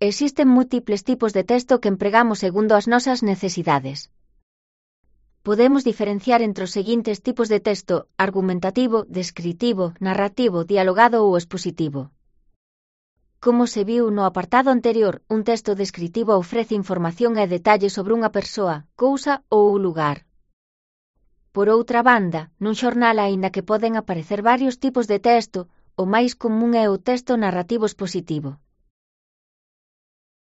Existen múltiples tipos de texto que empregamos segundo as nosas necesidades. Podemos diferenciar entre os seguintes tipos de texto: argumentativo, descritivo, narrativo, dialogado ou expositivo. Como se viu no apartado anterior, un texto descritivo ofrece información e detalles sobre unha persoa, cousa ou lugar. Por outra banda, nun xornal aínda que poden aparecer varios tipos de texto, o máis común é o texto narrativo expositivo.